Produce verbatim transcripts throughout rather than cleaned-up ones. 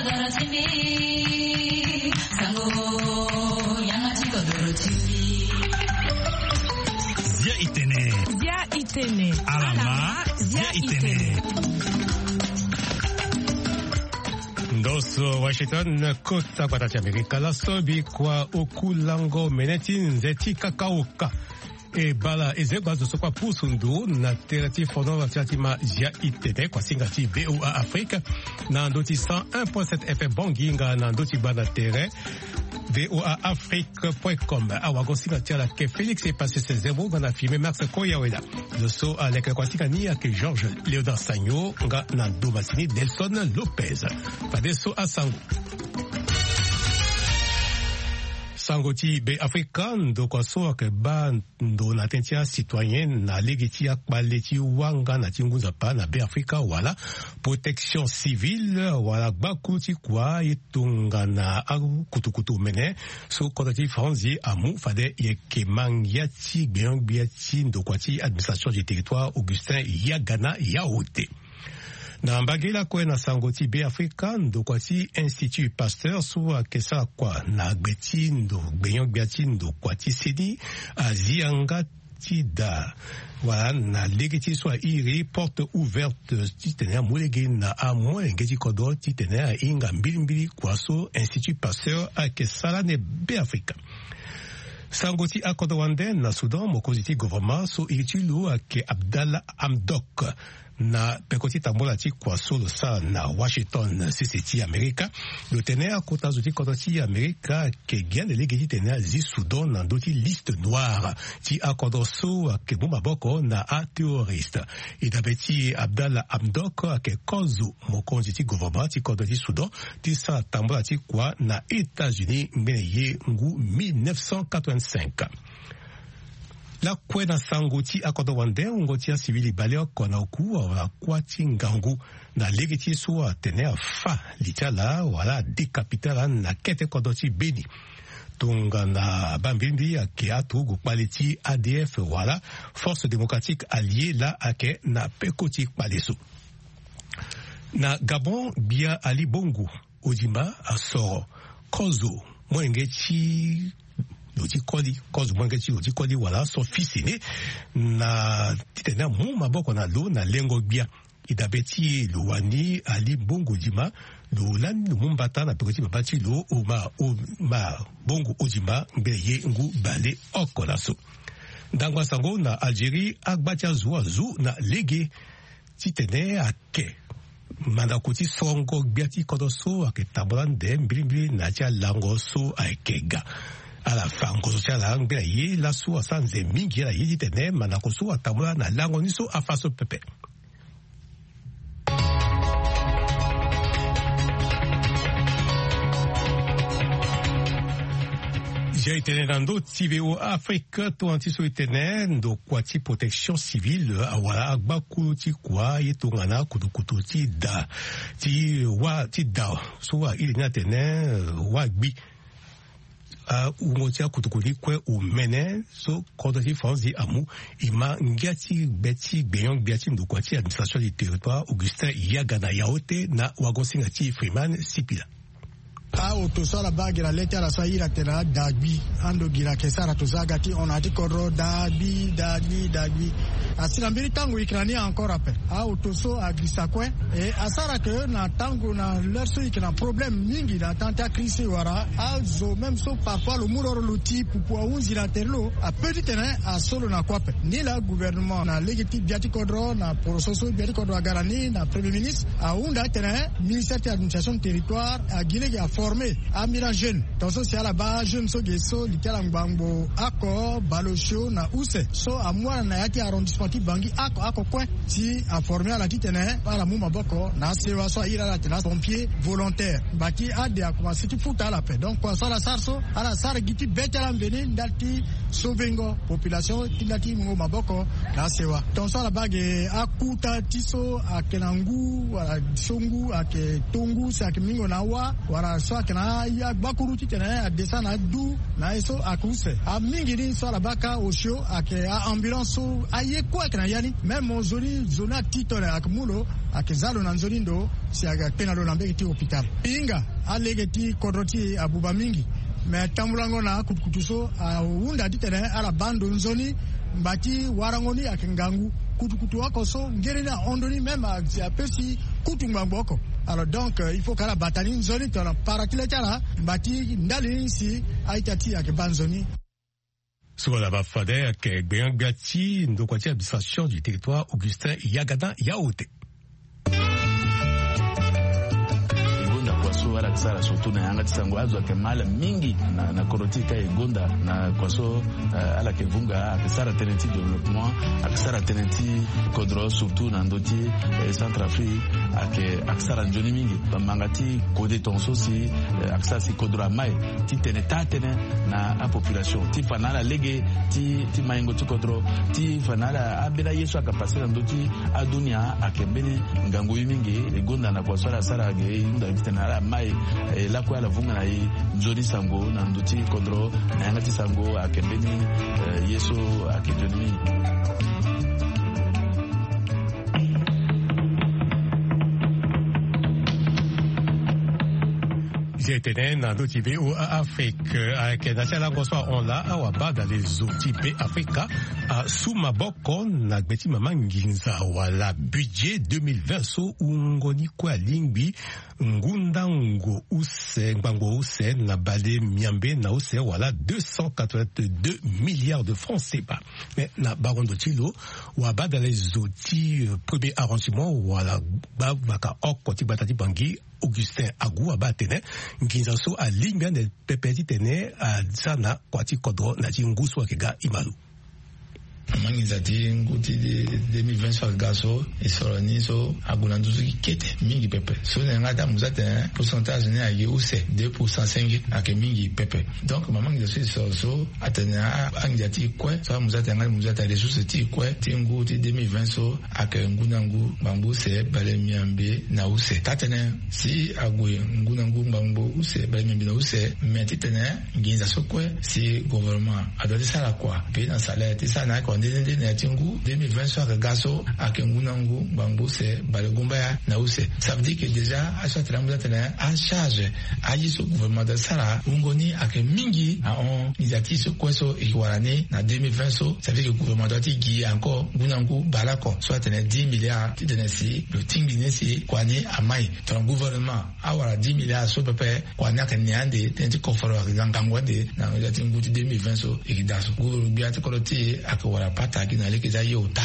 Zia itene. Zia itene. Alama, zia itene. Ndoso Washington, kota gbata ti Amerika. Laso bikua oku lango mene ti nze ti kakaoka. E bala e ze gba zo so kua pusu ndo na tere ti fono na tere ti ma zia itene kuasinga ti V O A Afrique na ndo ti cent un point sept F M Bangui nga na ndo ti gba na tere V O A Afrique point com. Awagosinga ti ala ke Félix e passé ses zemo nga na filme Max Koyaweda. Zo so aleke kuasinga ni ayeke Georges Léonard Sagno nga na ndo masini Nelson Lopez. Fadeso asango. Sango ti Be Afrika, ndokua so ayeke baa ndo na tënë ti acitoyen na lege ti akpale ti wanga na ti ngu nzapa na Be Afrika wala protection civile wala gbakulu ti kua ye tongana akutukutu omene so kota ti Franzi amu fade ye yeke ma ngia ti gbenyo-gbia ti ndokua ti administration du territoire Augustin Yagana Yaote. Na mbage lakue na sango ti Be Afrika, ndokua ti Institut Pasteur so ayeke sara kua na gbe ti ndo gbenyo-gbia ti ndokua ti seni azi yanga ti daa wala na lege ti so airi porte ouverte titene amu lege na amolenge ti kodro titene ahinga mbilimbili kua so Institut Pasteur ayeke sara ni Be Afrika. Sango ti akodro wande na Soudan, mokonzi ti gouvernement so iri ti lo ayeke Abdallah Hamdok. Na peko ti tambula ti kua so lo sara na Washington, sese ti Amerika, lo tene akota zo ti kodro ti Amerika ayeke gi ande lege titene azi Soudan na ndö ti liste noire ti akodro so ayeke mu maboko na aterroriste. E dabe ti e, Abdallah Hamdok ayeke kozo mokonzi ti gouvernement ti kodro ti Soudan ti sara tambula ti kua na États-Unis ngbene ye ngu mille neuf cent quatre-vingt-cinq. Lakue na sango ti akodro wande, wungo ti asivili baleoko na oku awara kuâ ti ngangu na lege ti so atene afâ li ti ala wala adécapité ala na kete kodro ti Beni. Tongana abaa mbirimbi ayeke aturugu kpale ti A D F wala Force Démocratique Alliée laa ayeke na peko ti kpale so. Na Gabon, gbia Ali Bongo Ondimba asoro kozo molenge ti lo ti koli, kozo molenge ti lo ti koli wala so fils aîné na titene amu maboko na lo na lengo gbia. E dabe ti e, lo wani Ali Bongo Ondimba, lo lani lo mu mbata na peko ti baba ti lo Omar, Omar Bongo Ondimba ngbene ye ngu baleoko laso. Ndangba sango na Algérie, agba ti azo azo na lege titene ayeke mandako ti sorongo gbia ti kodro so ayeke tambula ande mbilimbili na ya ti alango so ayeke ga. Ala fa ngonzo ti ala ngbene ye laso asara nze mingi ala ye titene mandako so atambula na lango ni so afa so pepe. Zia e tene na ndö ti V O A Afrique, tongana ti so e tene ndokua ti protection civile awara agbakulu ti kua ye tongana kutukutu ti da ti wâ ti da so airi ni atene wâ gbi. Awungo ti akutuku ni kue omene so kodro ti Franzi amu, e ma ngia ti gbe ti gbenyo-gbia ti ndokua ti administration du territoire Augustin Yagana Yaote na wagosinga ti Freeman Sipila. Aoto so ala baa gi na le ti ala so airi atene ada gbi, ando gi na yeke sara to so aga ti hon na ya ti kodro da gbi da gbi da gbi. Asi na mbeni tango e yeke na ni encore ape. Aoto so agirisa kue. E asara ke na tango na l'heure so e yeke na problème mingi na temps ti akri so e wara. Azo même so parfois lo mu loro lo ti pupu ahunzi na tere lo, ape titene aso lo na kue ape. Ni laa gouvernement na lege ti gbia ti kodro na poroso so gbia ti kodro aga na ni na premier ministre ahunda atene ministère ti administration du territoire agi lege aforme amira jeune. Tongaso si ala baa ajeune so ge so li ti ala ngbangbo oko bale osio na use so amu ala na ya ti arrondissement ti Bangui oko oko kue. Si aforme ala titene ala mu maboko na asewa so airi ala atene apompier volontaire. Mbaki ade akomanse ti futa ala ape. Donc kua so ala sara so, ala sara gi ti be ti ala mveni ndali ti sovengo population ti ndali ti mungo maboko na asewa. Tongaso ala baa ge akuta ti so ayeke na ngu wala so ngu ayeke to ngu si ayeke mingo na awa wala so Ayeke na ya gbakuru titene adesa na adu na ye so ayeke use. Amingi ni so ala baa kâ osio ayeke a-ambulance so aye kue ayeke na ya ni. Même nzoni nzoni ati tone ayeke mu lo, ayeke za lo na nzoni ndo si ayeke kpe na lo na mbege ti hôpital. Hinga alege ti kodro ti e abuba mingi. Me tambulango na akutukutu so ahunda titene ala baa ndo nzoni. Ngba ti warango ni ayeke ngangu. Kutukutu oko so ngere ni ahon ndo ni même asi apesi kutu ngbangbo oko. Alors donc il faut ka ala bata ni nzoni tongana para ti le ti ala ngba ti ndali ni si a-ita ti e ayeke baa nzoni. So ala baa fade ayeke gbenga-gbia ti ndokua ti administration du territoire Augustin Yagada Yaote. E gonda kua so ala yeke sara surtout na yanga ti sango azo ayeke ma ala mingi na, na kodro ti e ka e gonda na kua so, eh, ala yeke vunga ayeke sara tënë ti développement, ayeke sara tënë ti kodro surtout na ndö ti, eh, Centrafrique ayeke, ayeke sara nzoni mingi. Bamanga ti kode tongaso si, eh, ayeke sara si kodro amai titene taa tënë na apopulation ti fa na ala lege ti, ti maingo ti kodro ti fa na ala ambeni aye so ayeke pase na ndö ti adunia ayeke mbeni ngangu ye mingi. E gonda na kua so ala sara ge e hunda titene ala mai, eh, lakue ala vunga na e nzoni sango na ndö ti kodro na yanga ti sango ayeke mbeni, eh, ye so ayeke nzoni mingi. Zi etene na ndö ti V O A Afrique, eh, ayeke na ti alango so ahon laa awabadale zo ti Be Afrika asu maboko na gbe ti mama nginza wala budget deux mille vingt so wungo ni kue alingbi ngu ndango use, ngbangbo use na bale miambe na use wala deux cent quatre-vingt-deux milliards de francs C F A. Mais na bango ndo ti lo, wabadale zo ti, euh, premier arrangement wala gbavaka oko ti gbata ti Bangui, Augustin Agou abaa atene nginza so alingbi ande pepe titene asara na kua ti kodro na ya ti ngu so ayeke ga. Imalo. Mama nginza ti ngu ti deux mille vingt so ayeke ga so, e soro ni so ague na nduzu ti kete mingi pepe. So na yanga ti amu so atene pourcentage ni ayeke use deux pour cent cinq, ayeke mingi pepe. Donc mama nginza so e soro so atene a, anginza ti e kue so amu so atene yanga ti mu so atene ressource ti e kue ti ngu ti deux mille vingt so ayeke ngu na ngu ngbangbo use bale miambe na use. Taa tënë si ague ngu na ngu ngbangbo use bale miambe na use, me titene nginza so kue si gouvernement adoit ti sara kua pe na salaire ti sara na ayeke wande nde nde na ya ti ngu deux mille vingt so ayeke ga so ayeke ngu na ngu ngbangbo use bale gumbaya na use. Ça veut dire que déjà aye so atene amu so atene acharge aye so gouvernement doit ti sara wungo ni ayeke mingi ahon nginza ti e so kue so e yeke wara ni na deux mille vingt so. Ça veut dire que gouvernement doit ti gi encore ngu na ngu baleoko so atene dix milliards titene si lo tingbi ni si kua ni amai. Tongana gouvernement awara dix milliards so pepe, kua ni ayeke ne ande, tënë ti koforo ayeke ga ngangu ande na ya ti ngu ti deux mille vingt so e yeke daa so. Gouvernement gbia ti kodro ti e ayeke wara pata gi na lege ti aye ota.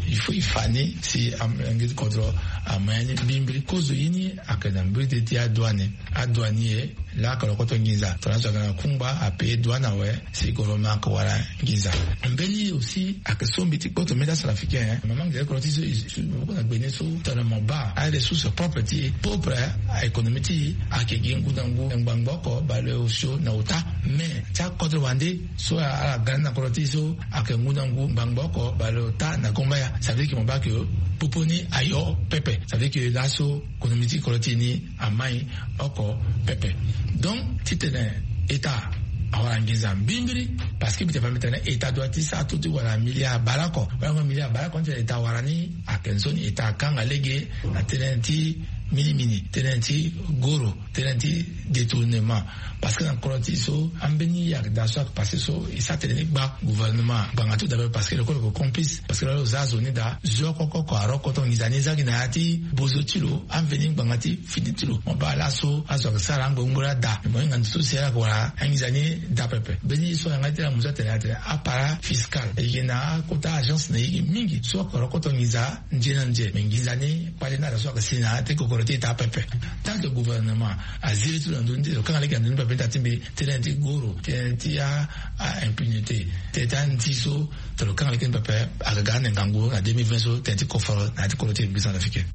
Il faut e fa ni si amelenge ti kodro ama ya ni mbrimbri. Kozo ye ni ayeke na mbeti ti adouane. Adouane ye laa ayeke lokoto nginza. Tongana azo ayeke na kungba apaye douane awe si gouvernement ayeke wara nginza. Mbeni aussi ayeke so mbi ti kpoto mbeni ti acentrafricain, eh. Mama nginza ti kodro ti so e su maboko na gbe ni so tongana mo baa aressource propre ti e, propre aéconomie ti e ayeke gi ngu na ngu ngbangbo oko bale osio na ota. Mais ti akodro wande so ala ga ni na kodro ti e so ayeke ngu na ngu ngbangbo oko bale ota na gumbaya. Ça veut dire que mo baa que popo ni ayo pepe. Ça veut dire que laso économie ti kodro ti e ni amai oko pepe. Donc titene État awara nginza mbrimbri, parce que mbi tene fa mbi tene État doit ti sara tout ti wara milliard baleoko. Wala milliard baleoko ni titene État awara ni ayeke nzoni État akanga lege na tënë ti minimini, tënë ti goro, tënë ti détournement. Parce que na kodro ti e so ambeni ya daa so ayeke passé so e sara tene ni gba gouvernement gbanga ti lo daa pepe, parce que lo kue lo yeke complice. Parce que lo za zo ni daa, zo oko oko aro koto nginza ni za gi na ya ti bozo ti lo, amveni ngbanga ti fini ti lo. Mo baa laso azo ayeke sara angbe ngbo laa daa, mo hinga ndo so si ala yeke wara anginza ni daa pepe. Mbeni ye so ayanga ti ala mu so atene atene appareil fiscal, e yeke na akota agence na e yeke mingi so ayeke aro koto nginza nze na nze. Me nginza ni kpale ni ala so ayeke si na ya ti kokoro ti État pepe. Tant que gouvernement aziri ti lo na ndö ni te, lo kanga lege na ndö ni pepe ni daa ti mbi tënë ti goro, tënë ti a, a impunité, tënë ti andi so, tongana lo kanga lege ni pepe, ayeke ga ande ngangu na deux mille vingt so, tënë ti koforo na ya ti kodro ti République centrafricaine.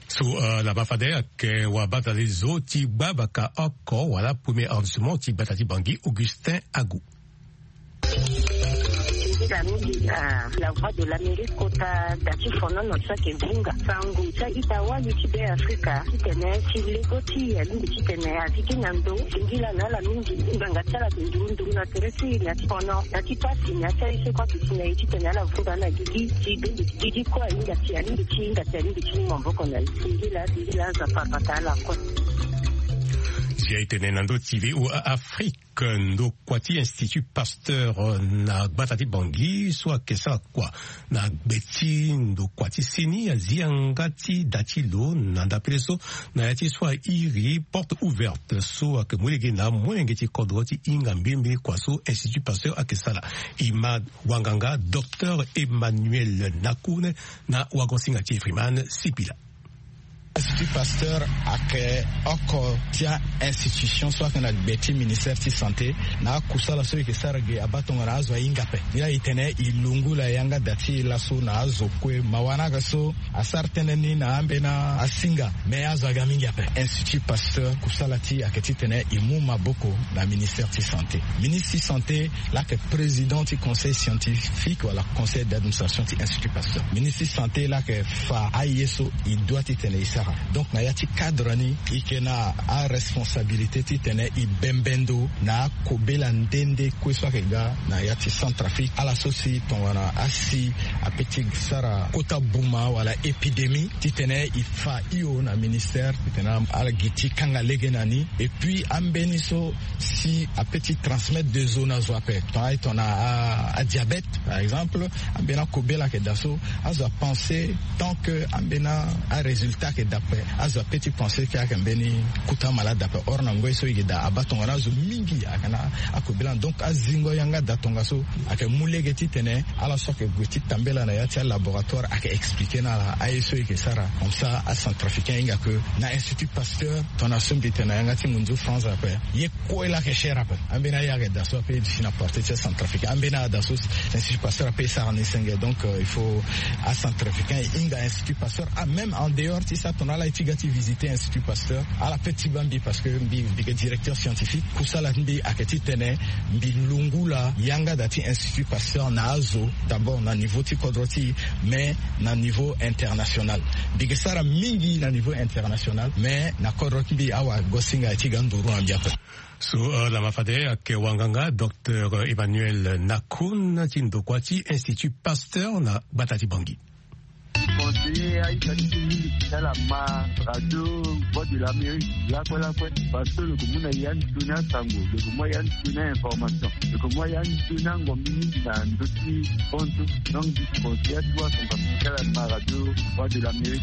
So, euh, ala baa fade ayeke wabadale zo ti gbavaka oko wala premier arrondissement ti gbata ti Bangui, Augustin Agou. Ita mingi na la voix de l'Amérique kota da ti fonono so ayeke vunga sango ti a-ita wali ti Be Afrika titene ti lego ti e alingbi titene a zi gi na ndo singila na ala mingi. Ngbanga ti ala ayeke nduru nduru na tere ti e na ti fono na ti pasi na ya ti aye so kue ayeke si na e titene ala vunga na gigi ti be gigi kue ahinga si alingbi ti hinga si alingbi ti mu maboko na e. Singila singila aza papa ta ala kue. Si aye tene na ndo ti V O A Afrique, ndokua ti Institut Pasteur na gbata ti Bangui so ayeke sara kua na gbe ti ndokua ti seni azi yanga ti da ti lo na ndapele so na ya ti so airi porte ouverte so ayeke mu lege na molenge ti kodro ti hinga mbilimbili kua so Institut Pasteur ayeke sara. E ma wanganga Docteur Emmanuel Nakune na wagosinga ti e Freeman Sipila. Institut Pasteur ayeke oko ti a-institution so ayeke na gbe ti ministère ti santé na akusala so e yeke sara ge abaa tongana azo ahinga ape. Ni laa e tene e lungu laa yanga da ti e laso na azo kue. Mawa ni ayeke so asara tënë ni na ambeni asinga, me azo aga mingi ape. Institut Pasteur kusala ti e ayeke titene e mu maboko na ministère ti santé. Ministre ti santé laa ayeke président ti conseil scientifique wala conseil d'administration ti Institut Pasteur. Ministre ti santé laa ayeke fa aye so e doit titene e sara. Donc na ya ti cadre ni e yeke na aresponsabilité titene e bembe ndo na akobela nde nde kue so ayeke ga na ya ti Centrafrique. Ala so si tongana asi ape ti sara kota buma wala épidémie titene e fa hio na ministère titene ala gi ti kanga lege na ni. Et puis ambeni so si ape ti transmettre des eaux na zo ape, tongana aye tongana adiabète par exemple, ambeni akobela ayeke daa so azo apenser tant que ambeni arésultat ayeke daa ape, azo ape ti penser ke ayeke mbeni kota malade ape. Or na ngoi so e yeke daa abaa tongana azo mingi ayeke na akobela ni. Donc azingo yanga daa tongaso ayeke mu lege titene ala so ayeke gue ti tambela na ya ti alaboratoire ayeke expliquer na ala aye so e yeke sara. Comme ça acentrafricain ahinga ke na Institut Pasteur tongana so mbi tene na yanga ti ngunzu France ape, ye kue laa ayeke cher ape. Ambeni aye ayeke daa so ape e duti na porte ti acentrafricain, ambeni aye daa so Institut Pasteur ape e sara ni senge. Donc il faut acentrafricain e hinga Institut Pasteur, même en dehors ti sa tongana ala ye ti ga ti visiter Institut Pasteur, ala pe ti baa mbi parce que mbi mbi yeke directeur scientifique. Kusala ti mbi ayeke titene mbi lungu laa yanga daa ti Institut Pasteur na azo, d'abord na niveau ti kodro ti e, mais na niveau international. Mbi yeke sara mingi na niveau international, mais na kodro ti mbi awagosinga aye ti ga nduru na mbi ape. So lama fade ayeke wanganga Docteur Emmanuel Nakun ti ndokua ti Institut Pasteur na gbata ti Bangui. Conseiller aita ti ti mingi ti ala ma radio Voix de l'Amérique lakue lakue, parce que lo yeke mu na ya nzoni asango, lo yeke mu ya nzoni ainformation, lo yeke mu ya nzoni angombi mingi na ndö ti kontu. Donc mbi conseiller atuwa son parce que ti ala ma radio Voix de l'Amérique.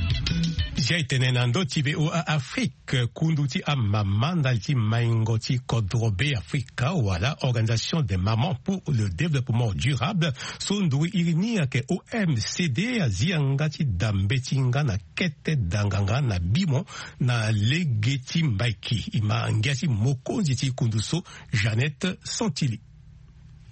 Si aye tene na ndö ti V O A Afrique, kundu ti amama ndali ti maingo ti kodro Be Afrika wala Organisation des Mamans pour le Développement Durable so nduru iri ni ayeke O M C D azi yanga ti da mbeti nga na kete danganga na bimo na lege ti mbaiki. E ma ngia ti mokonzi ti kundu so, Jeannette Santili.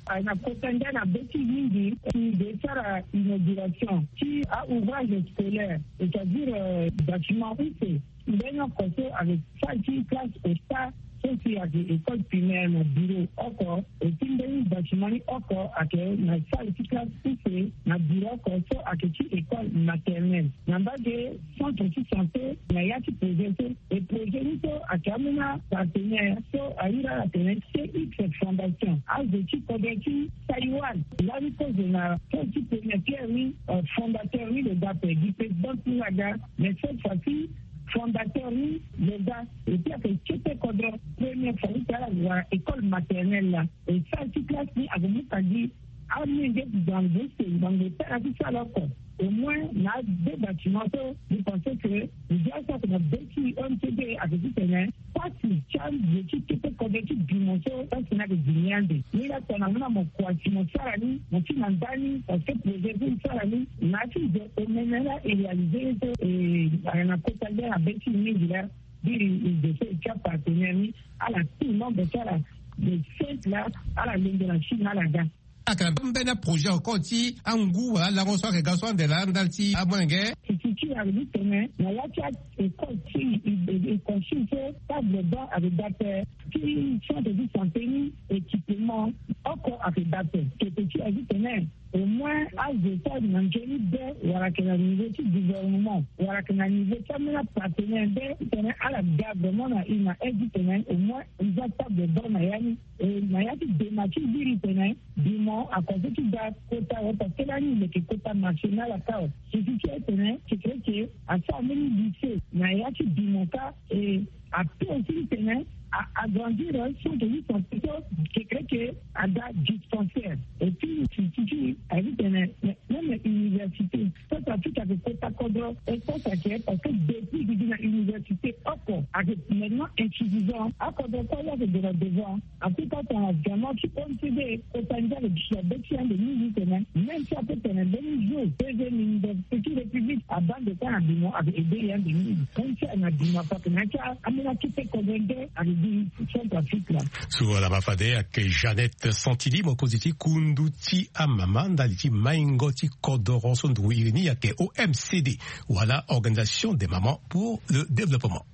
Aye na kota ngia na be ti mingi si e sara inauguration ti a-ouvrage scolaire, c'est-à-dire bâtiment use. Mbeni oko so ayeke sara ti classe au stade so si ayeke école primaire na bureau oko, et puis mbeni bâtiment ni oko ayeke na salle ti classe use na bureau oko so ayeke ti école maternelle. Na mbage centre ti santé na ya ti projet so. E projet ni so ayeke ambeni apartenaire so ahiri ala atene C X Fondation, azo ti kodro ti Taïwan. Lani kozo na pose ti première pierre ni, fondateur ni lo ga ape, gi président ti ni aga, mais cette fois ci fondateur ni lo ga. Et puis ayeke kete kodro première fois ti ala wara école maternelle laa. E salle ti classe ni ayeke mu ka gi amenge ti ngbangbo use, ngbangbo tara ti sala oko. Au moins na deux bâtiments so mbi pense que ndia so ayeke na be ti O M C D ayeke titene pasi ti azo ti kete kodro ti bimo so pasi ni ayeke gi ni ande. Ni laa tongana mo na mo kua si mo sara ni, mo ti na ndani, parce que projet so e sara ni na ya ti zo omene laa e réaliser ye so. E ayeke na kota ngia na be ti e mingi laa. Biri e zo so e ti apartenaire ni, ala tout membre ti ala de cinq laa, ala lenge na Chine ala ga. Ayeke na mbeni aprojet encore ti angu wala alango so ayeke ga so ande laa ndali ti amolenge. Ti ti ayeke ti tene na ya ti a-, école ti e, e, e consulte table banc ayeke ga ape. Ti centre ti santé ni équipement oko ayeke ga ape. Kete ti ayeke ti tene au moins azo so ayeke na nzoni be wala ayeke na niveau ti gouvernement wala ayeke na niveau ti ambeni apartenaire be ti tene ala ga vraiment na e na aide ti tene au moins e za table banc na ya ni. E na ya ti dema ti viri tene bimo akozo ti ga kota awe parce que lani e leke kota marché na ala kâ awe. Suffit ti e tene ti kreke asara mbeni lycée na ya ti bimo kâ. E ape aussi ti tene a-, agrandir centre ti santé so ti kreke aga dispensaire. Et puis suffit ti aye ti tene même université. Centrafrique ayeke kota kodro espace ayeke parce que depuis e gi na université oko ayeke maintenant insuffisant. Akodro kue ayeke gue na devant. Afrika tongana vraiment ti O M C D kota nzia ayeke duti na be ti e ande mingi tene même si ape tene mbeni jour deuxième université ti république abaa ande kue na bimo ayeke aidé e ande mingi. Même si ayeke na bimo ape ayeke na ya ti ambeni akete kodro nde ayeke gi Centrafrique laa. So ala ma fade ayeke Jeannette Santini mokonzi ti kundu ti amama ndali ti maingo ti kodoro so nduru iri ni ayeke O M C D wala Organisation des Mamans pour le Développement.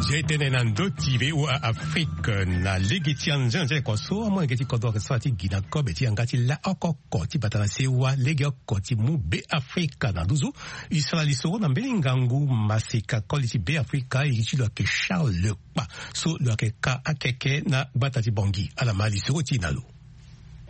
Nzia e tene na ndö ti V O A Afrique na lege ti anzia na nzia e kua so amolenge ti kodro ayeke sara ti gi na kobe ti yanga ti la oko ti bata na sewa lege oko ti mu Be Afrika na nduzu. E sara lisoro na mbeni ngangu maseka koli ti Be Afrika e ti lo ayeke Charles Kpa so lo yeke ka akeke na gbata ti Bangui. Ala ma lisoro ti e na lo.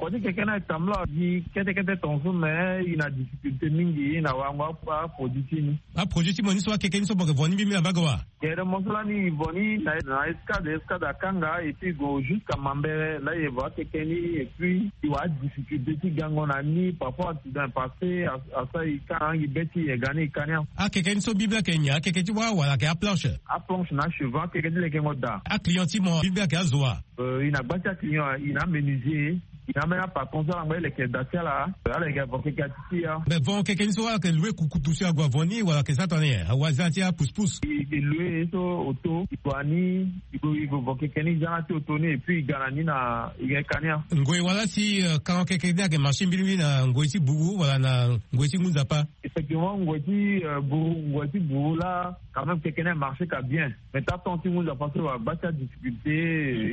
Kua ti keke ni atambula gi kete kete tongaso me e na difficulté mingi e na warango aproduit ti e ni. Aproduit ti mo ni so akeke ni so mo yeke vo ni mbimbi na mbage wa? Gere mo so lani e vo ni na escade, escade akanga et puis e gue jusqu'à Mambere laa e vo akeke ni et puis e wara difficulté ti gango na ni parfois. Dans le passé asara e ka na angi be ti e ga ni e ka ni. Akeke ni so mbimbi ayeke nyen? Akeke ti wâ wala ayeke aplanche? Aplanche na achevant akeke ti lekengo daa. Aclient ti mo mbimbi ayeke azo wa? E na gba ti aclient e na amenuisier e na ambeni apatron so ala ngba ti leke daa ti ala. Ala yeke avo keke ati ti ya. Me vo keke ni so ala yeke loue kukutu si ague avo ni wala ayeke sara tongana nyen? Awazi ti apousse pousse. E loue so auto e gue na ni. E gue e gue vo keke ni e za na ti auto ni et puis e ga na ni na e ga e ka ni. Ngoi wala si kango keke ni ayeke marché mbirimbiri na ngoi ti buru wala na ngoi ti ngu nzapa? Effectivement ngoi ti buru ngoi ti buru laa quand même keke ni amarché ka bien. Mais ti atemps ti ngu nzapa so e wara gba ti adifficulté.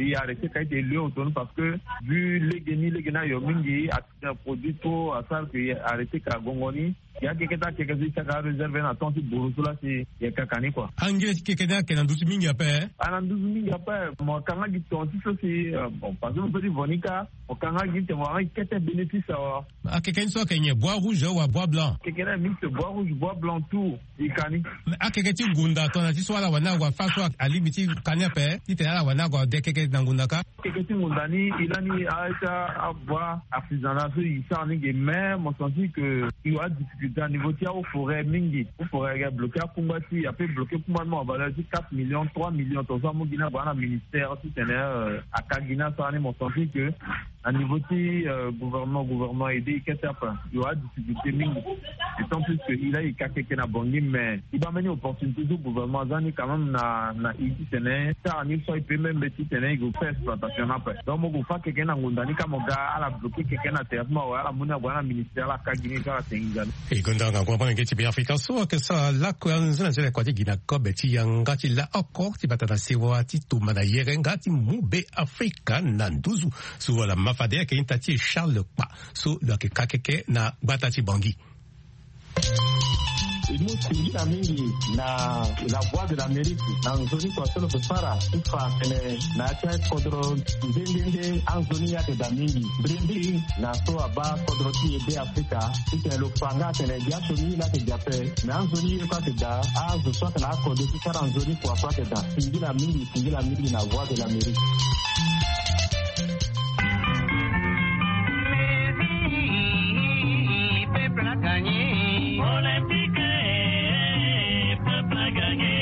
E arrêté ka ete e loue auto ni parce que vu lege ni lege ni ayo mingi. Produit trop asara ke e arrêté ka gongo ni. Ya keke ti akeke so e saka aréserve na temps ti buru so laa si e kaka ni kua. Angile ti keke ni ayeke na nduzu mingi ape? Ayeke na nduzu mingi ape. Mo kanga gi tonga ti so si bon parce que mo peut ti vo ni kâ. Mo kanga gi tene mo wara gi kete bénéfice awa. Akeke ni so ayeke nyen? Bois rouge wala bois blanc? Keke ni aye mixte bois rouge bois blanc tout. E ka ni. Akeke ti ngunda tongana ti so ala wani ague afa so alingbi ti ka ni ape titene ala wani ague ade keke na ngunda kâ? Keke ti ngunda ni e lani aye ti abois artisanal so e sara ni ge mais mo sentir que e wara difficulté na niveau ti ahaut forêt mingi. Haut forêt ayeke bloqué akungba ti e ape bloqué kungba ni mo na valeur ti quatre millions trois millions tongaso amu gi ni ague na ministère titene aka gi ni asara ni mo sentir que na niveau ti gouvernement gouvernement aide e kete ape. E wara difficulté mingi. D'autant plus que e laa e ka keke na Bangui mais e baa mbeni opportunité so gouvernement aza ni quand même na na e titene e sara ni so e peut même titene e gue faire exploitation ni ape. Donc mo gue fa keke ni na ngunda ni kâ mo ga ala bloqué keke ni na terrain ti mo awe ala mu ni ague na ministère ala ka gi ni so ala tenginza ni. E gonda ngangu amolenge ti Be Afrika so ayeke sara lakue anzene anzene kua ti gi na kobe ti yanga ti la oko ti bata na sewa ti tumba na yere nga ti mu Be Afrika na nduzu. So ala ma fade ayeke ita ti e Charles Kpa so lo yeke ka keke na gbata ti Bangui. E mu singila mingi na La Voix de l'Amérique na nzoni kua so lo yeke sara ti fa tene na ya ti akodro nde nde nde anzoni ayeke daa mingi. Mbrimbri na so abaa kodro ti e Be Afrika titene lo fa nga atene gi asioni ye laa ayeke gi ape. Me anzoni ye kue ayeke daa azo so ayeke na akode ti sara nzoni kua kue ayeke daa. Singila mingi singila mingi na Voix de l'Amérique. Peuple a gagné. Olympique, peuple a gagné.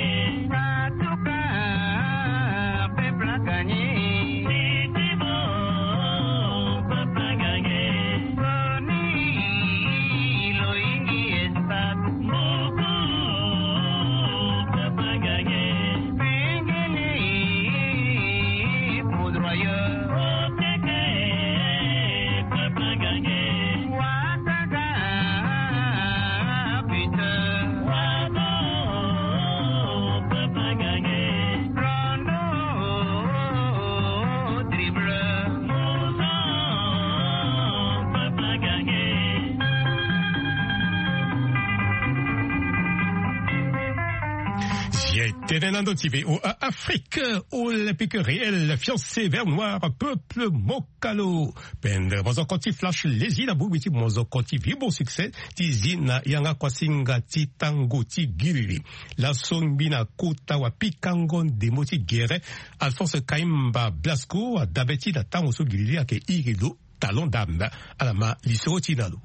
Peuple a gagné. Peuple a gagné. Soni lo yingi espace. Tene na ndo ti VOA Afrique, Olympique Réel, fiancé vert noir, peuple mokalo. Pendre mozoko ti Flash Lezi na bongbi ti mozoko ti Vibo Succès ti zi na yanga kuasinga ti tango ti giriri. Laso ngbi na kota wapikango ndembo ti gere, Alphonse Kaimba Blasco adabe ti na tango so giriri ayeke iri lo talon dame. Ala ma lisoro ti na lo.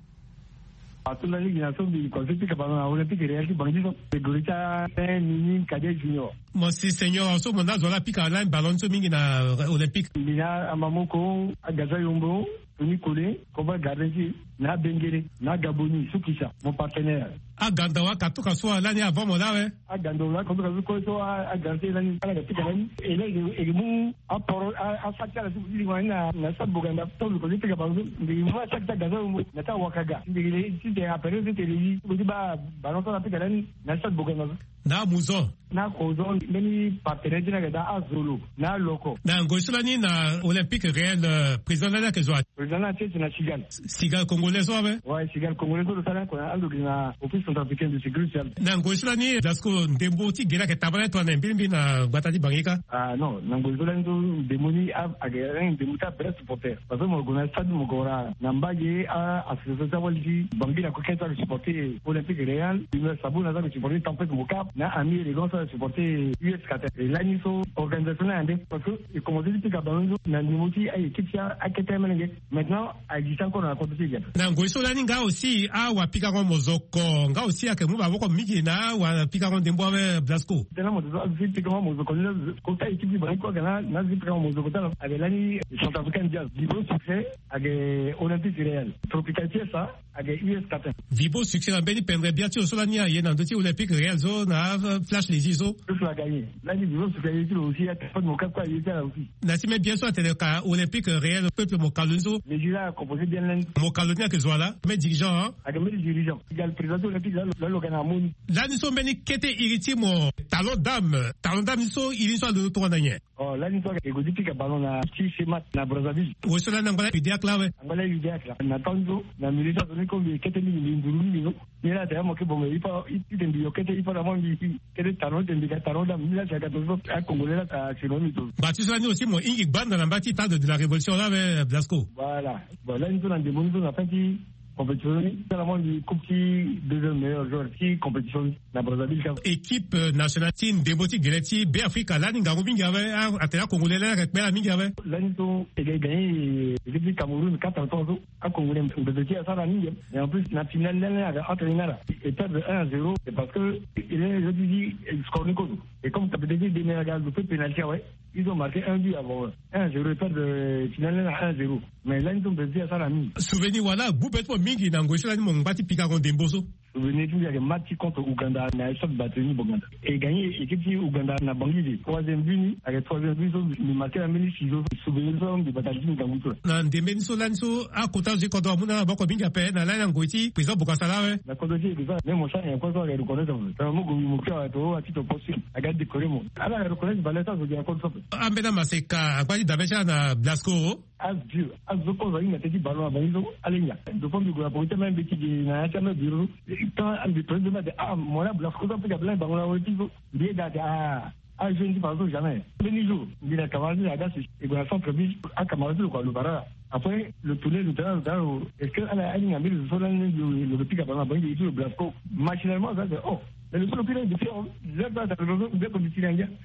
Ato lani gi na so mbi konse ti kabana na Olympique Réel ti Bangui so. Catégorie ti a un, mini, cadet, junior. Mo si senior so mo na zo la pika lani ballon so mingi na Olympique. Mbi na Amamoko, Agaza Yombo, Tony Kole, Koba Gardien ti na Bengele, na Gaboni, Sukisa, mon partenaire. Aganda wa katuka so alani avant mo la we. Aganda wa katuka so ko so a, a Gardien lani, ala ga pika lani. E lani, e mu aporo, a, a fati ala so kiri wani na, na Stade Boganda. To ko ti pika ballon so, ndiri mu a fati Agaza Yombo, na ta Wakaga. Ndiri le, ti te apere so te le yi, ko ti ba ballon so ala pika lani, na Stade Boganda so. Na Muzon. Na Kozon, mbeni partenaire ti na ga da Azolo, na Loko. Na ngoi so lani na Olympique Réel, euh, président lani ayeke zo wa? Président lani ati eti na Cigale. Cigale congolais so awe? Ouais, Cigale congolais so lo sara ko na ando gi na Office centrafricain de sécurité sociale. Na ngoi so lani Blasco ndembo ti gere ayeke tabala tongana mbilimbili na gbata ti Bangui kâ? Ah non, na ngoi so lani so ndembo ni a, ayeke ndembo ti a vrai supporter. Parce que mo gue na stade mo gue wara na mbage a association ti awali ti Bangui na kue kâ so ayeke supporter Olympique Réel, Humeur Sabona so ayeke supporter Tempête Mocap, na Ami Élégant so ayeke supporter U S Qatar. E lani so organisation ni ayeke ande parce que e commencé ti pika ballon so na niveau ti a équipe ti a, akete amelenge. Maintenant a existe encore na kodro ti e. Na ngoi so lani nga aussi awapikango mozoko nga aussi ayeke mu maboko mingi na awapikango ndembo awe Blasco. Tena mo zo azo ti pikango mozoko ni la kota équipe ti bango kue ayeke na azo ti pikango mozoko ti ala ayeke lani Centrafricain Jazz, Vibo Succès, ayeke Olympique Réel, Tropical Fiesta, ayeke U S Qatar. Vibo Succès na mbeni pendre bia ti lo so lani aye na ndö ti Olympique Réel so na Flash Lezi so. Tout cela gagné. Lani Vivo Succès aye ti lo aussi, a téléphone mo kâ kue aye ti ala aussi. Na ti me bien so atene ka Olympique Réel peuple mokalo ni so. Lezi la composé bien lani. Mokalo ni ayeke zo wa la, me dirigeant, hein? Ayeke mbeni dirigeant. Cigale président ti Olympique la lo, la lo ga na amoni. Lani so mbeni kete iri ti mo talon dame, talon dame ni so iri ni so alondo tongana nyen? Oh, lani so e gue ti pika ballon na ti Semat na Brazzaville. Wo so lani angba la UDEAC la awe? Angba la UDEAC la. Na temps so na milieu so azo ni ko mbi kete mingi, mbi nduru mingi so. Ni la tene mo ke bon, mais il faut, il, il, mbi yo kete, il faut vraiment mbi kete talon, mbi ga talon dame, ni la tene ka to so a Congolais la ta sino mi to. Ba ti so lani aussi mo hingi gbanda na mba ti Temple de la Révolution la awe Blasco. Voilà. Bon, lani so na ndembo ni so na fin ti compétition ni, tala mo mbi coupe ti deuxième meilleur joueur ti compétition ni na Brazzaville kâ. Équipe, euh, nationale ti ndembo ti gele ti Beafrika lani ngangu mingi awe, a, atene a Congolais lani ayeke kpela mingi awe. Lani so e ga, e gagné, euh, équipe ti Cameroun quatre à trois so. A Congolais, mbeto ti e asara mingi. Et en plus, na finale lani ayeke entre ni na ala, e perdre un à zéro, c'est parce que e lani e zo ti zi, e score ni kozo. Et comme capitaine ti e Dembélé aga lo fait pénalty awe, ils ont marqué un but avant, un à zéro, e perdre, euh, finale lani na un à zéro. Mais lani so mbeto ti e asara mingi. Souvenir wala gbu be ti mo mingi na ngoi so lani mo ngba ti pikango ndembo so? Souvenir ti mbi ayeke match ti contre Ouganda na stade Bateni Boganda. E gagné équipe ti Ouganda na Bangui de. Troisième but ni ayeke troisième but so mbi marqué na mbeni sizo. Souvenir so mbi bata li ti mbi ngangu ti lo. Na ndembe ni so lani so akota zo ti kodro amu na ala maboko mingi ape na lani na ngoi ti président Bokassa la awe. Na kodro ti e ke so même mo sara nyen kue so ayeke reconnaître mo. Tongana mo gue mo kiri awe to wa ti to poste aga décorer mo. Ala reconnaître valeur ti azo gi na kodro so ape. Ambeni amaseka angba ti dabe ti ala na Blasco. Azo, azo kozo ahinga teti ballon na bango so, ala hinga. Ndo fo mbi gue na poko ti amai mbi ti gi na ya ti amai bureau. Tant mbi prenait de mate, ah, mo la Blasco so mpe ga blanc bango na weti so. Mbi yeda ate, ah, ah, jeune ti façon jamais. Mbeni jour, mbi na camarade ti aga si, e gue na centre ville, acamarade ti lo kua lo bara. Après, lo tourner, lo tala, lo tala, lo, est-ce que ala ahinga mbeni zo so lani lo, lo, lo pika ballon na bango, lo, lo Blasco. Machinalement, ça, c'est, oh, mais lo so lo pika depuis, oh, zero place, lo, lo, lo, lo,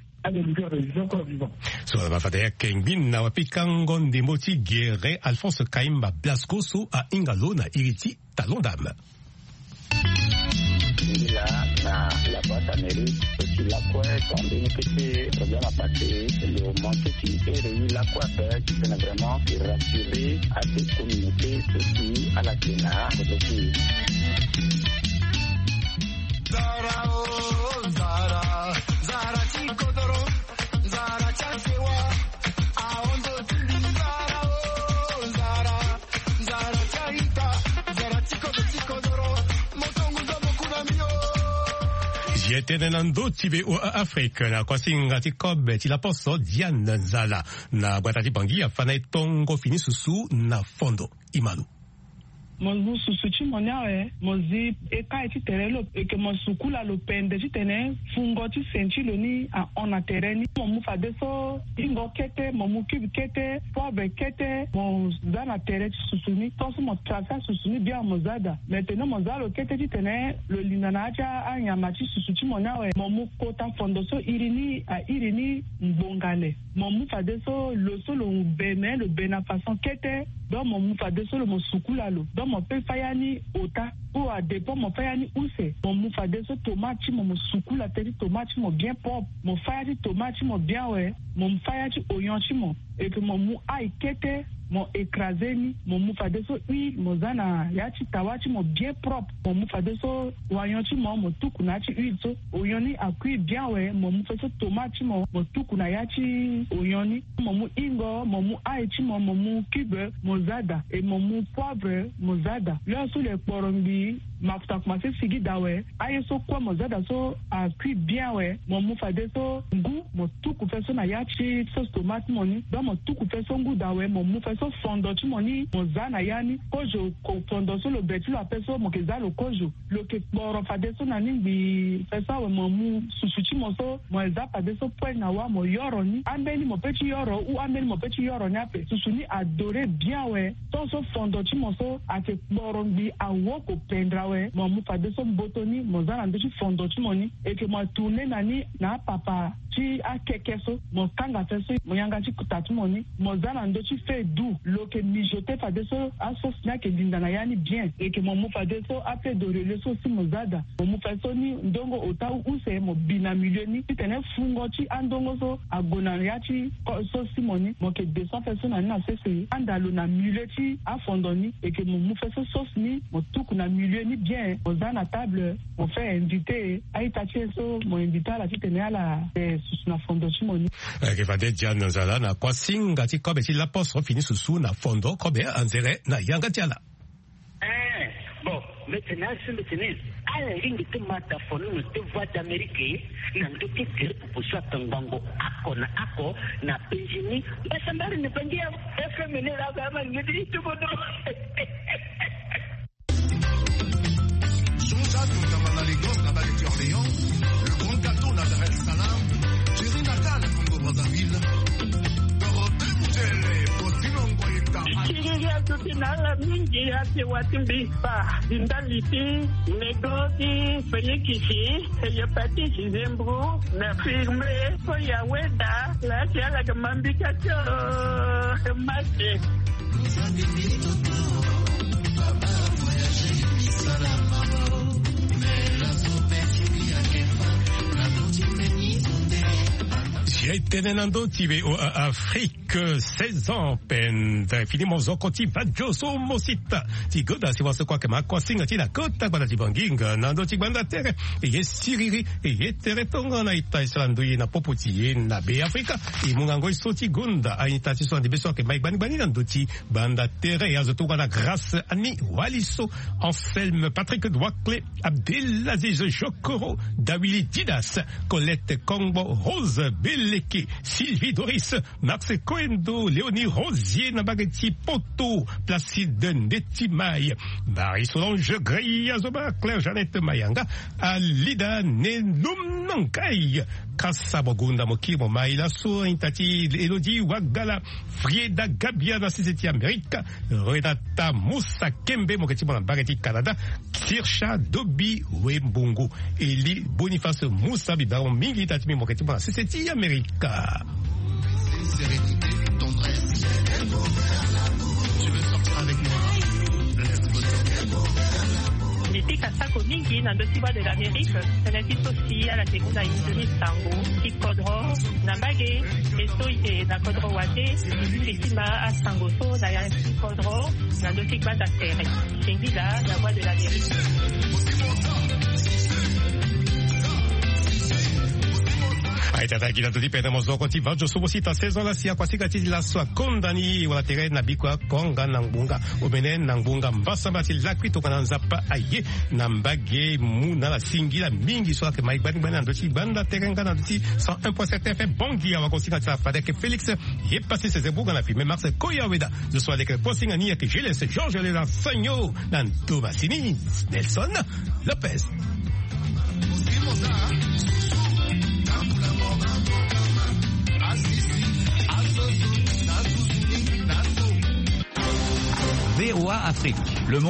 So ala ma fade ayeke ngbi na wapikango ndembo ti gere Alphonse Kaimba Blasco so ahinga lo na iri ti talon dame. Ngi la na la boîte à mairie so ti lakue, quand mbeni kete problème apassé, lo manqué ti ere ye lakue ape ti tene vraiment e rassurer ate communauté so si ala yeke na kozo ti e. Nzara o, nzara, nzara ti kodoro, nzara ti asewa, ahon ndo ti mbi nzara o, nzara, nzara ti a-ita, nzara ti kodro ti kodoro, mo tongo nzombo ku na mbi o. Zia tënë na ndö ti VOA Afrique na kuasinga ti kobe ti laposo Diane Nzala na gbata ti Bangui afa na e tongo fini susu na fondo. Imalo. Mo mu susu ti mo ni awe, mo zi eka ye ti tere lo, eke mo sukula lo pende titene fungo ti sen ti lo ni ahon na tere ni. Mo mu fadeso ingo kete, mo mu cube kete, poivre kete, mo za na tere ti susu ni. Tongaso mo trace asusu ni bien, mo za daa. Maintenant mo za lo kete titene lo linda na ya ti anyama ti susu ti mo ni awe, mo mu kota fondo so iri ni airi ni ngbonga le. Mo mu fadeso lo so lo be, me lo be na façon kete. Donc mo mu fadeso lo, mo sukula lo. Donc mo pe fâ ya ni ota, ou à dépend mo fâ ya ni use. Mo mu fadeso tomate ti mo, mo sukula tere ti tomate ti mo bien propre. Mo fâ ya ti tomate ti mo bien awe. Mo mu fâ ya ti oignon ti mo. Eke mo mu ail kete, mo écraser ni. Mo mu fadeso huile, mo za na ya ti tawa ti mo bien propre. Mo mu fadeso oignon ti mo, mo tuku na ya ti huile so. Oignon ni akuit bien awe, mo mu fadeso tomate ti mo, mo tuku na ya ti oignon ni. Mo mu ingo, mo mu ail ti mo, mo mu cube, mo za daa. Et mo mu poivre, mo za daa. L'heure so lo kporo ngbii, mafuta akomanse sigi daa awe. Aye so kue mo za daa so akuit bien awe, mo mu fadeso ngu, mo tuku fadeso na ya ti sauce tomate ti mo ni. Donc mo tuku fadeso ngu daa awe, mo mu fadeso fondo ti mo ni, mo za na ya ni. Kozo, ko-, fondo so lo be ti lo ape so, mo ke za lo kozo. Lo ke kporo fadeso na ni ngbii. Fadeso awe mo mu susu ti mo so, mo za fadeso poêle na wâ, mo yoro ni. Ambeni mo pe ti yoro, ou ambeni mo pe ti yoro ni ape. Susu ni adoré bien awe. Tongaso fondo ti mo so ake kporo ngbii, awoko pendre awe, mo mu fadeso mboto ni, mo za na ndö ti fondo ti mo ni. Eke mo tourner na ni na apapa ti akeke so, mo kanga fadeso, mo yanga ti kuta ti mo ni, mo za na ndö ti feu doux. Lo ke mijoter fadeso asauce ni ake linda na ya ni bien. Eke mo mu fadeso afeuille d'oreiller so si mo za daa. Mo mu fadeso ni ndongo ota ou use, mo bi na milieu ni titene fungo ti andongo so ague na ya ti ko-, sauce ti mo ni. Mo ke descend fadeso na ni na sese, anda lo na milieu ti afondo ni. Eke mo mu fadeso sauce ni, mo tuku na milieu ni bien, mo za na table, mo fait inviter a-ita ti e so mo inviter ala titene ala, eh, susu na fondo ti mo ni. Eke fade Diane Nzala na kuâ singa ti kobe ti lapos, fini susu na fondo kobe anzere na yanga ti ala. Eh, bon, mbeti ni asi mbeti ni. Ala lingbi ti ma daa fono na ti Voix d'Amérique na ndö ti gere pupu so atongbango oko na oko na penzi ni. Mbasambara ni bangi ya F M ni la ga ma ngeti ti bodo. Jean-Jacques Nkamana Lagos na bale ti Orléans, le grand gâteau na Dar es Salaam, Jerry Naka na Congo Brazzaville. Dorothée Mutele, Faustino Ngoyeta. Siriri aduti na ala mingi ate wati mbi pa, di ndali ti nego ti fenikisi, hépatite, zembro, na firme, ko ya weda, la ti ala ga mambika tio, mate. Si aye tënë na ndö ti V O A Afrique, seize ans pende fini mozoko ti vadio so mo sita. Ti goda si waso kua ke ma kuâ singa ti na kota gbanda ti Banginga na ndö ti gbanda tere. E ye siriri, e ye tere tongana ita e sara ndö ye na popo ti e na Be Afrika. E mu ngango e so ti gonda a-ita ti so ande be so ayeke mai gbani gbani na ndö ti banda tere. Azo tongana Grâce Annie Waliso, Anselme Patrick Douakle, Abdelaziz Jokoro, Dawili Didas, Colette Kongbo, Rose Beleke, Sylvie Doris, Max Koendo, Léonie Rosier na mbage ti Poto, Placide Ndetimai, Marie Solange Grey, Azoba, Claire Jeannette Mayanga, Alida Nenum Nankai, Kasa Bogunda Mokiri Momai, laso a-ita ti Elodie Wagala, Frieda Gabia na sese ti Amerika, Renata Musa Kembe mo yeke ti mo na mbage ti Canada, Kirsha Dobi Wembongo, Eli Boniface Musa, mbi baa mo mingi ita ti mbi mo yeke ti mo na sese ti Amerika. Sérénité, tendresse. Tu veux sortir avec moi? Laisse-moi sortir. Mbi pika sako mingi na ndö ti Voix de l'Amérique, tënë ti so si ala yeke mu na hindu ni sango ti kodro na mbage, e so e yeke na kodro wate, e si mbi ti ma asango so na ya ti kodro na ndö ti gbanda tere. Singila na Voix de l'Amérique. Tata gi na dodi pene mozoko ti vajo sobo sita saison la si akua sika ti laso akonda ni wala tere na biko akonga na ngbonga omene na ngbonga mbasamba ti lakui tongana nzapa aye na mbage mu na ala singila mingi so ayeke mai gbani gbani na ndö ti gbanda tere nga na ndö ti cent un point sept F M. Bongi awa ko sika ti ala fadeke Félix ye pasi sese buga na filme Marcel Koya Weda. Zo so aleke kosinga ni ayeke Julius Georges Lela Sagno na ndo masini Nelson Lopez. V O A Afrique, le monde.